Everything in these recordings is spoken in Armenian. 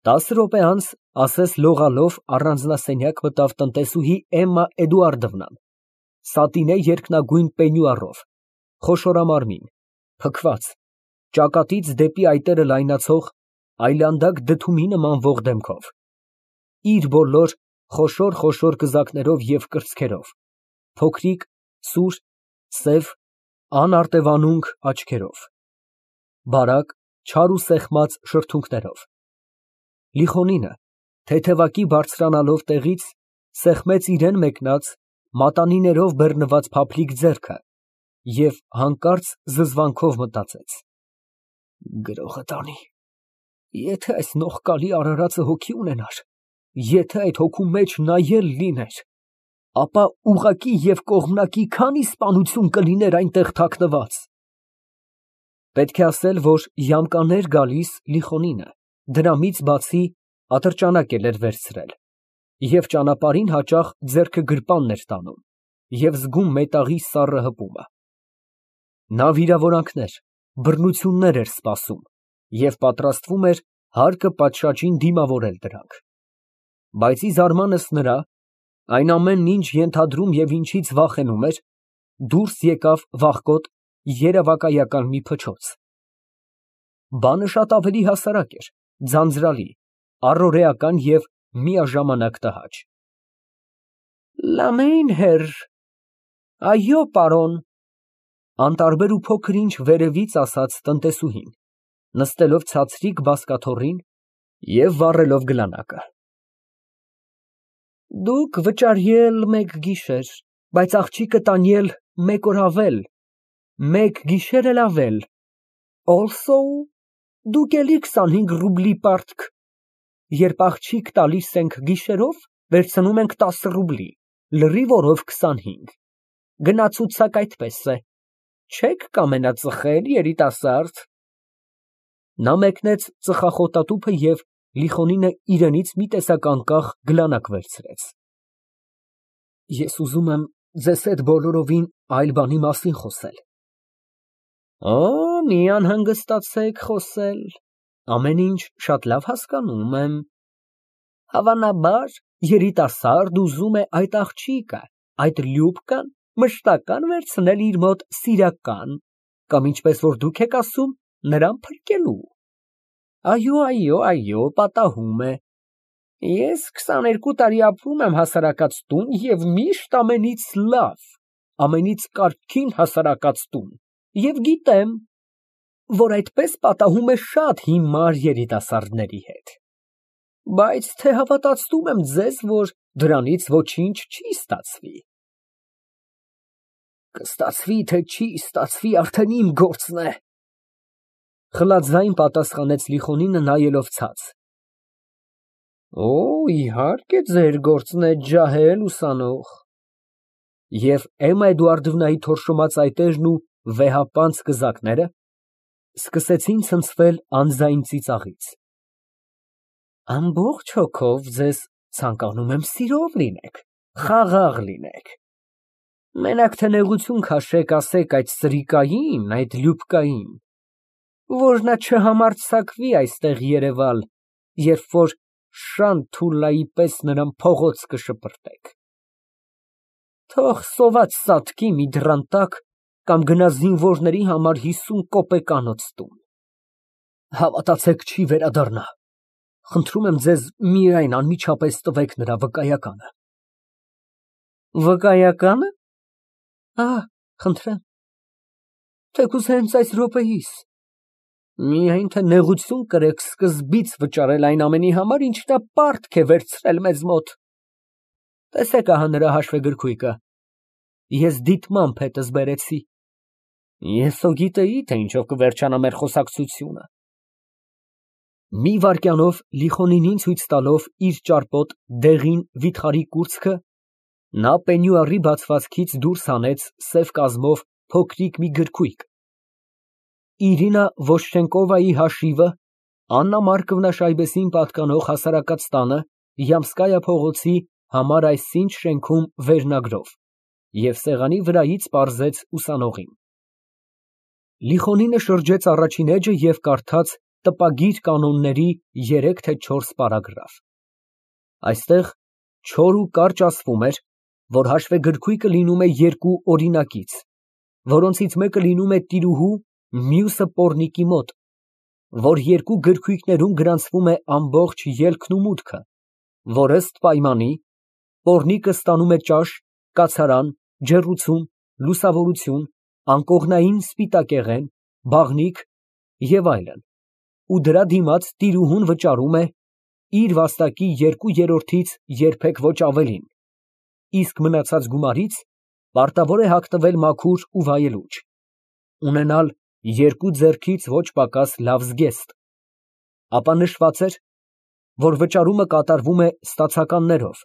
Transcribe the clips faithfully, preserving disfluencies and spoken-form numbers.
Տասը րոպե անց ասես լողալով առանձնասենյակ մտավ տնտեսուհի Էմմա Էդուարդովնան, սատինե երկնագույն պենյուարով, խոշորամարմին, փքված, ճակատից դեպի այտերը լայնացող, այլանդակ դդումի նմանվող դեմքով, իր բոլոր խոշոր֊խոշոր կզակներով և կրծքերով, փոքրիկ, սուր, սև, անարտևանունգ աչքերով, բարակ, չար ու սեղմած շրթունքներով։ Լիխոնինը, թեթևակի բարձրանալով տեղից, սեղմեց իրան մեկնած, մատանիներով բեռնված փափլիկ ձեռքը և հանկարծ զզվանքով մտածեց. «Գրողը տանի, եթե այս նողկալի արարածը հոգի ունենար, եթե այդ հոգու մեջ նայել լիներ, ապա ուղղակի և կողմնակի քանի սպանություն կլիներ այնտեղ թաքնված»։ Պետք է ասել, որ յամկաներ գալիս Լիխոնինը դրամից բացի ատրճանակ էլ էր վերցրել և ճանապարհին հաճախ ձեռքը գրպանն էր տանում և զգում մետաղի սառը հպումը։ Նա վիրավորանքներ, բռնություններ էր սպասում և պատրաստվում էր հարկը պատշաճին դիմավորել դրանք։ Բայց ի զարմանս նրա, այն ամենն ինչ ենթադրում և ինչից վախենում էր, դուրս եկավ վախկոտ, երևակայական մի փչոց։ Բանը շատ ավելի հասարակ էր, ձանձրալի, առօրեական և միաժամանակ տհաճ։ «Լամեյն֊հեր, այո, պարոն», անտարբեր ու փոքր ինչ վերևից ասաց տնտեսուհին, նստելով ցածրիկ բազկաթոռին և վառելով գլանակը։ «Դուք վճարյալ մեկ գիշեր, բայց աղջիկը տանյել մեկ օր ավել, մեկ գիշեր էլ ավել, also դուք էլի քսանհինգ ռուբլի պարտք, երբ աղջիկ տալիս ենք գիշերով, վերցնում ենք տասը ռուբլի, լրիվ օրով քսանհինգ, գնացուցակ այդպես է, չե՞ք կամենա ծխել, երիտասարդ»։ Նա մեկնեց ծխախոտատուփը և Լիխոնինը իրենից մի տեսակ անկախ գլանակ վերցրեց։ «Ես ուզում եմ ձեզ հետ բոլորովին այլ բանի մասին խոսել»։ «Օ, մի անհանգստացեք խոսել, ամեն ինչ շատ լավ հասկանում եմ։ Հավանաբար երիտասարդ ուզում է այդ աղջիկը, այդ Լյուբկան մշտական վերցնել իր մոտ սիրական, կամ ինչպես որ դուք եք ասում, նրան փրկելու։ Այո, այո, այո, պատահում է։ Ես քսաներկու տարի ապրում եմ հասարակած տուն և միշտ ամենից լավ, ամենից կարգին հասարակած տուն և գիտեմ, որ այդպես պատահում է շատ հիմար երիտասարդների հետ, բայց թե հավատացնում եմ ձեզ, որ դրանից ոչինչ չի ստացվի։ Կստացվի, թե չի ստացվի, արդեն իմ գործն է, խլաթձայն պատասխանեց Լիխոնինը, նայելով ցած։ Օ, իհարկե ձեր գործն է, ջահել ուսանող։ Եվ Էմմա Էդուարդովնայի թորշոմած այտերն ու վեհապանծ կզակները սկսեցին ցնցվել անձայն ծիծաղից։ Ամբողջ հոգով ձեզ ցանկանում եմ սիրով լինեք, խաղաղ լինեք։ Մենակ թե նեղություն քաշեք, ասեք այդ սրիկային, այդ Լյուբկային, որ նա չհամարձակվի այստեղ երևալ, երբ որ Շան Թուլլայի պես նրան փողոց կշպրտեք։ Թող սոված սատկի մի դռան տակ կամ գնա զինվորների համար հիսուն կոպեկանոց տուն։ Հավատացեք, չի վերադառնա։ Խնդրում եմ ձեզ միայն անմիջապես տվեք նրա վկայականը։ Վկայակա՞նը։ Ահ, խնդրեմ։ Թեկուզ հենց այս րոպեիս։ Միայն թե նեղություն կրեք սկզբից վճարել այն ամենի համար, ինչ նա պարտք է վերցրել մեզ մոտ։ Տեսեք ահա նրա հաշվեգրքույկը։ Ես դիտմամբ հետս բերեցի։ Ես հո գիտեի, թե ինչով կվերջանա մեր խոսակցությունը։ Մի վայրկյանով Լիխոնինին ցույց տալով իր ճարպոտ դեղին վիթխարի կուրծքը, նա պենյուարի բացվածքից դուրս հանեց սև կազմով փոքրիկ մի գրքույկ։ Իրինա Վոշչենկովայի հաշիվը Աննա Մարկովնա Շայբեսին պատկանող հասարակած տանը Յամսկայա փողոցի համար այսինչ շենքում վերնագրով և սեղանի վրայից պարզեց ուսանողին։ Լիխոնինը շրջեց առաջին էջը և կարդաց տպագիր կանոնների երեք թե չորս պարագրաֆ։ Այստեղ չոր ու կարճ ասվում էր, որ հաշվեգրքույկը լինում է երկու օրինակից, որոնցից մեկը լինում է տիրուհու, մյուսը պոռնիկի մոտ, որ երկու գրքույկներում գրանցվում է ամբողջ ելքն ու մուտքը, որ ըստ պայմանի պոռնիկը ստանում է ճաշ, կացարան, ջեռուցում, լուսավորություն, անկողնային սպիտակեղեն, բաղնիք և այլն, ու դրա դիմաց տիրուհուն վճարում է իր վաստակի երկու երրորդից երբեք ոչ ավելին, իսկ մնացած գումարից պարտավոր է հագնվել մաքուր ու վայելուչ, ունենալ երկու ձեռքից ոչ պակաս լավ զգեստ, ապա նշված էր, որ վճարումը կատարվում է ստացականներով,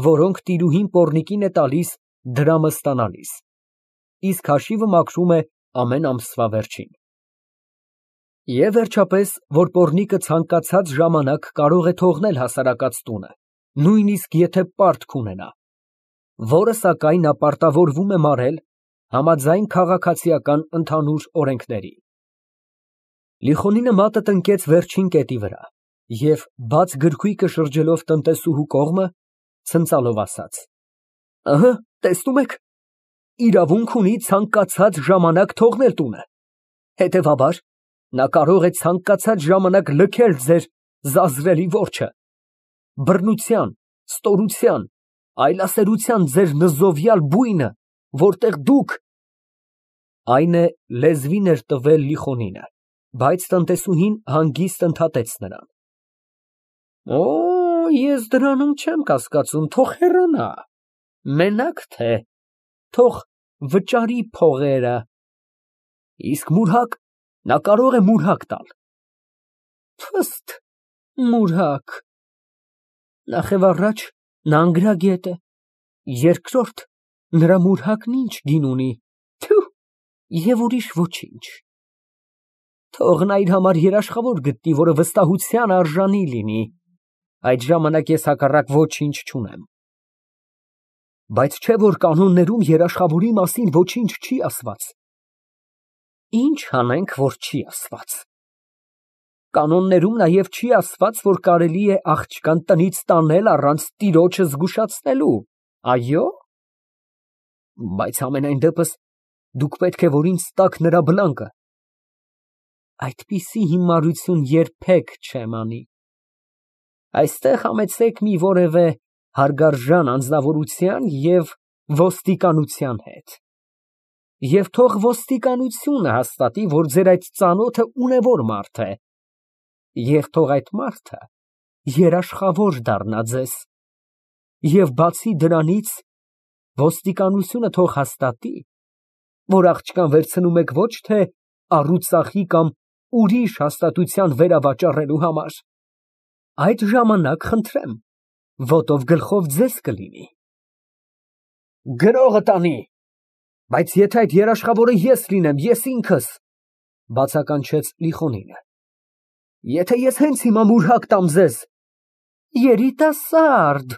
որոնք տիրուհին պոռնիկին է տալիս դրամը ստանալիս, իսկ հաշիվը մաքրում է ամեն ամսվա վերջին։ Եվ վերջապես, որ պոռնիկը ցանկացած ժամանակ կարող է թողնել հասարակած տունը, նույնիսկ եթե պարտք ունենա, որը սակայն նա պարտավորվում է մարել համաձայն քաղաքացիական ընդհանուր օրենքների։ Լիխոնինը մատը տնկեց վերջին կետի վրա և բաց գրքույկը շրջելով տնտեսուհու կողմը, ցնծալով ասաց. Ըհը, տեսնում եք, իրավունք ունի ցանկացած ժամանակ թողնել տունը, հետևաբար նա կարող է ցանկացած ժամանակ լքել ձեր զազրելի որջը, բռնության, ստորության, այլասերության ձեր նզովյալ բույնը, որտեղ դուք… Այն է, լեզվին էր տվել Լիխոնինը, բայց տնտեսուհին հանգիստ ընդհատեց նրան. Օ, ես դրանում չեմ կասկածում, թող հեռանա, մենակ թե, թող վճարի փողերը, իսկ մուրհակ, նա կարող է մուրհակ տալ։ Փստ, մուրհակ… Նախևառաջ նա անգրագետ է, երկրորդ նրա մուրհակն ինչ գին ունի, թյու, և ուրիշ ոչինչ։ Թող նա իր համար երաշխավոր գտնի, որը վստահության արժանի լինի, այդ ժամանակ ես հակառակ ոչինչ չունեմ։ Բայց չէ՞ որ կանոններում երաշխավորի մասին ոչինչ չի ասված։ Ինչ անենք, որ չի ասված։ Կանոններում նաև չի ասված, որ կարելի է աղջկան տնից տանել առանց տիրոջը զգուշացնելու, այո՞։ Բայց համենայն դեպս դուք պետք է որ ինձ տաք նրա բլանկը։ Այդպիսի հիմարություն երբեք չեմ անի։ Այստեղ համեցեք մի որևէ հարգարժան անձնավորության և ոստիկանության հետ։ Եվ թող ոստիկանությունը հաստատի, որ ձեր այդ ծանոթը ունևոր մարդ է, և թող այդ մարդը երաշխավոր դառնա ձեզ, և բացի դրանից, ոստիկանությունը թող հաստատի, որ աղջկան վերցնում եք ոչ թե առուծախի կամ ուրիշ հաստատության վերավաճառելու համար, այդ ժամանակ, խնդրեմ, ոտով գլխով ձեզ կլինի։ Գրողը տանի, բայց եթե այդ երաշխավորը ես լինեմ, ես ինքս, բացականչեց Լիխոնինը, եթե ես հենց հիմա մուրհակ տամ ձեզ… Երիտասարդ…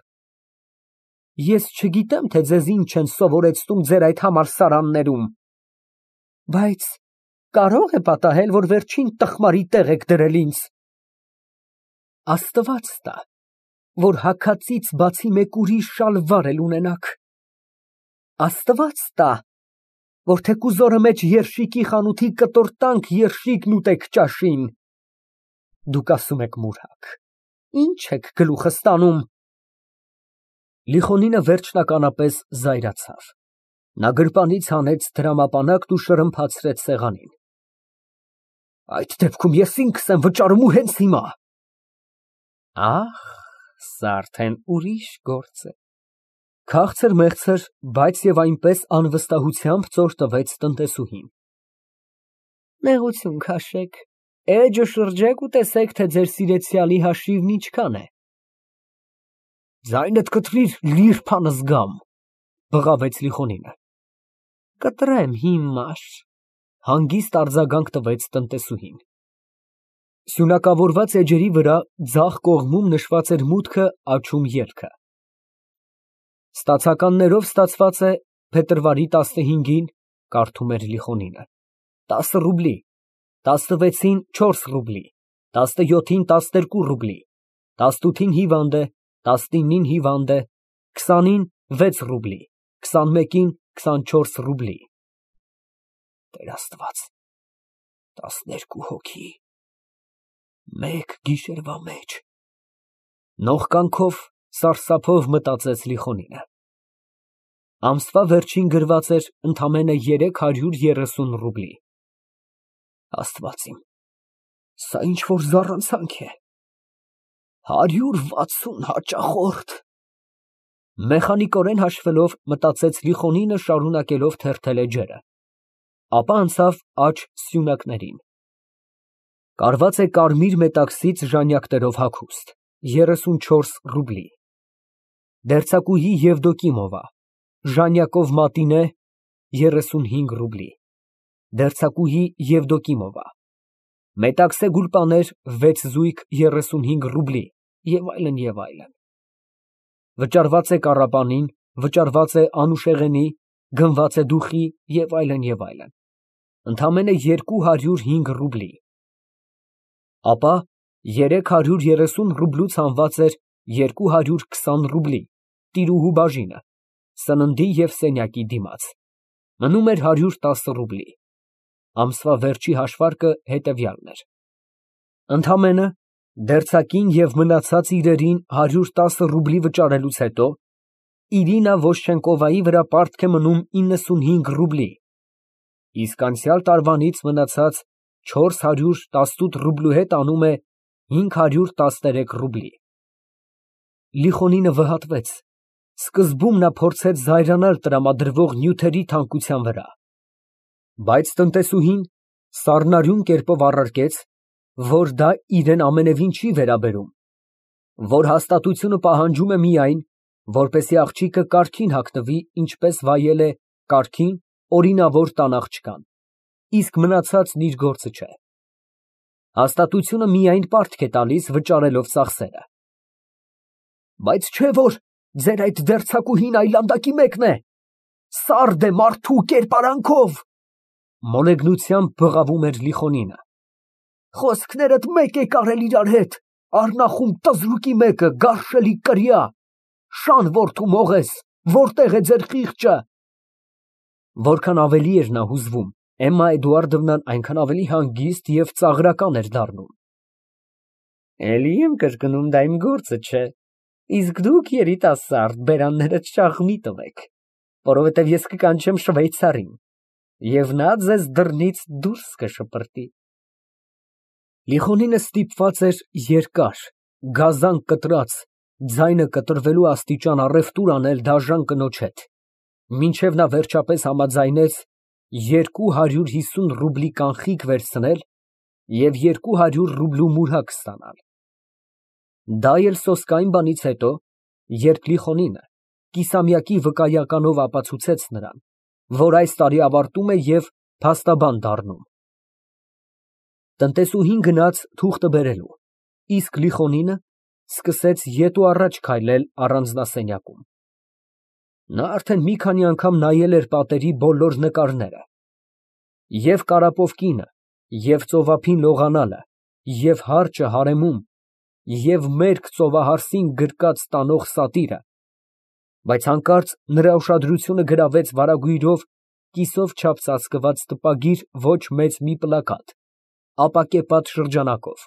Ես չգիտեմ, թե ձեզ ինչ են սովորեցնում ձեր այդ համալսարաններում, բայց կարո՞ղ է պատահել, որ վերջին տխմարի տեղ եք դրել ինձ… Աստված տա, որ հագածից բացի մեկ ուրիշ շալվար էլ ունենաք… Աստված տա, որ թեկուզ օրը մեջ երշիկի խանութի կտորտանք երշիկն ուտեք ճաշին… Դուք ասում եք մուրհակ, ի՞նչ եք գլուխը ստանում… Լիխոնինը վերջնականապես զայրացավ, նա գրպանից հանեց դրամապանակն ու շրմփացրեց սեղանին։ Այդ դեպքում ես ինքս եմ վճարում ու հենց հիմա… Ահ, սա արդեն ուրիշ գործ է… Քաղցր֊մեղցր, բայց և այնպես անվստահությամբ ծոր տվեց տնտեսուհին։ Նեղություն քաշեք, էջը շրջեք ու տեսեք, թե ձեր սիրեցյալի հաշիվն ինչքան է… Ձայնդ կտրիր, լի՞րբ անզգամ, բղավեց Լիխոնինը։ Կտրեմ հիմար, հանգիստ արձագանք տվեց տնտեսուհին։ Սյունակավորված էջերի վրա ձախ կողմում նշված էր մուտքը, աջում ելքը։ Ստացականներով ստացված է փետրվարի տասնհինգին, կարդում էր Լիխոնինը, տասը ռուբլի, տասնվեցին չորս ռուբլի, տասնյոթին տասներկու ռուբլի, տասնութին հիվանդ է, տասնինին հիվանդ է, քսանին վեց ռուբլի, քսանմեկին քսանչորս ռուբլի։ Տեր Աստված, տասներկու հոգի, մեկ գիշերվա մեջ։ Նողկանքով, սարսափով մտածեց Լիխոնինը։ Ամսվա վերջին գրված էր ընդամենը երեք հարյուր երեսուն ռուբլի։ Աստված իմ, սա ինչ որ զառանցանք է։ Հարյուր վաթսուն հաճախորդ։ Մեխանիկորեն հաշվելով մտածեց Լիխոնինը, շարունակելով թերթել էջերը, ապա անցավ աջ սյունակներին։ Կարված է կարմիր մետաքսից ժանյակներով հագուստ, երեսունչորս ռուբլի։ Դերձակուհի Եվդոկիմովա, ժանյակով մատինե, երեսունհինգ ռուբլի։ Դերձակուհի Եվդոկիմովա, մետաքսե գուլպաներ, վեց զույգ, երեսունհինգ ռուբլի և այլն, և այլն։ Վճարված է կառապանին, վճարված է անուշեղենի, գնված է դուխի և այլն, և այլն, ընդամենը երկու հարյուր հինգ ռուբլի։ Ապա երեք հարյուր երեսուն ռուբլուց հանված էր երկու հարյուր քսան ռուբլի, տիրուհու բաժինը, սննդի և սենյակի դիմաց, մնում էր հարյուր տասը ռուբլի։ Ամսվա վերջի հաշվարկը հետևյալն էր. ընդամենը դերձակին և մնացած իրերին հարյուր տասը ռուբլի վճարելուց հետո Իրինա Ոშչենկովայի վրա պարտք է մնում իննսունհինգ ռուբլի, իսկ անցյալ տարվանից մնացած չորս հարյուր տասնութ ռուբլու հետ անում է հինգ հարյուր տասներեք ռուբլի։ Լիխոնինը վհատվեց, սկզբում նա փորձեց զայրանալ տրամադրվող նյութերի թանկության վրա, բայց տնտեսուհին սառնարյուն կերպով առարկեց, որ դա իրան ամենևին չի վերաբերում, որ հաստատությունը պահանջում է միայն, որպեսզի աղջիկը կարգին հագնվի, ինչպես վայել է կարգին օրինավոր տան աղջկան, իսկ մնացածն իր գործը չէ։ Հաստատությունը միայն պարտք է տալիս վճարելով ծախսերը։ Բայց չէ՞ որ ձեր այդ դերձակուհին այլանդակի մեկն է, սարդ է մարդու կերպարանքով, մոլեգնությամբ բղավում էր Լիխոնինը։ Խոսքներդ մեկ եք արել իրար հետ, առնախում տզրուկի մեկը, գարշելի կրյա, շան որդու մողես, որտե՞ղ է ձեր խիղճը։ Որքան ավելի էր նա հուզվում, Էմմա Էդուարդովնան այնքան ավելի հանգիստ և ծաղրական էր դառնում։ Էլի եմ կրկնում, դա իմ գործը չէ, իսկ դուք երիտասարդ բերաններդ շաղ մի տվեք, որովհետև ես կկանչեմ շվեյցարին, և նա ձեզ դռնից դուրս կշպրտի։ Լիխոնինը ստիպված էր երկար, գազան կտրած, ձայնը կտրվելու աստիճան առևտուր անել դաժան կնոջ հետ, մինչև նա վերջապես համաձայնեց երկու հարյուր հիսուն ռուբլի կանխիկ վերցնել և երկու հարյուր ռուբլու մուրհակ ստանալ։ Դա էլ սոսկային բանից հետո, երբ Լիխոնինը կիսամյակի վկայականով ապացուցեց նրան, որ այս տարի ավարտում է և փաստաբան դառնում։ Տնտեսուհին գնաց թուղթը բերելու, իսկ Լիխոնինը սկսեց ետ ու առաջ քայլել առանձնասենյակում։ Նա արդեն մի քանի անգամ նայել էր պատերի բոլոր նկարները, և Կարապովկինը, և ծովափին լողանալը, և հարճը հարեմում, և մերկ ծովահարսին գրկած տանող սատիրը, բայց հանկարծ նրա ուշադրությունը գրավեց վարագույրով կիսով չափ ծածկված տպագիր ոչ մեծ մի պլակատ, ապակեպատ շրջանակով։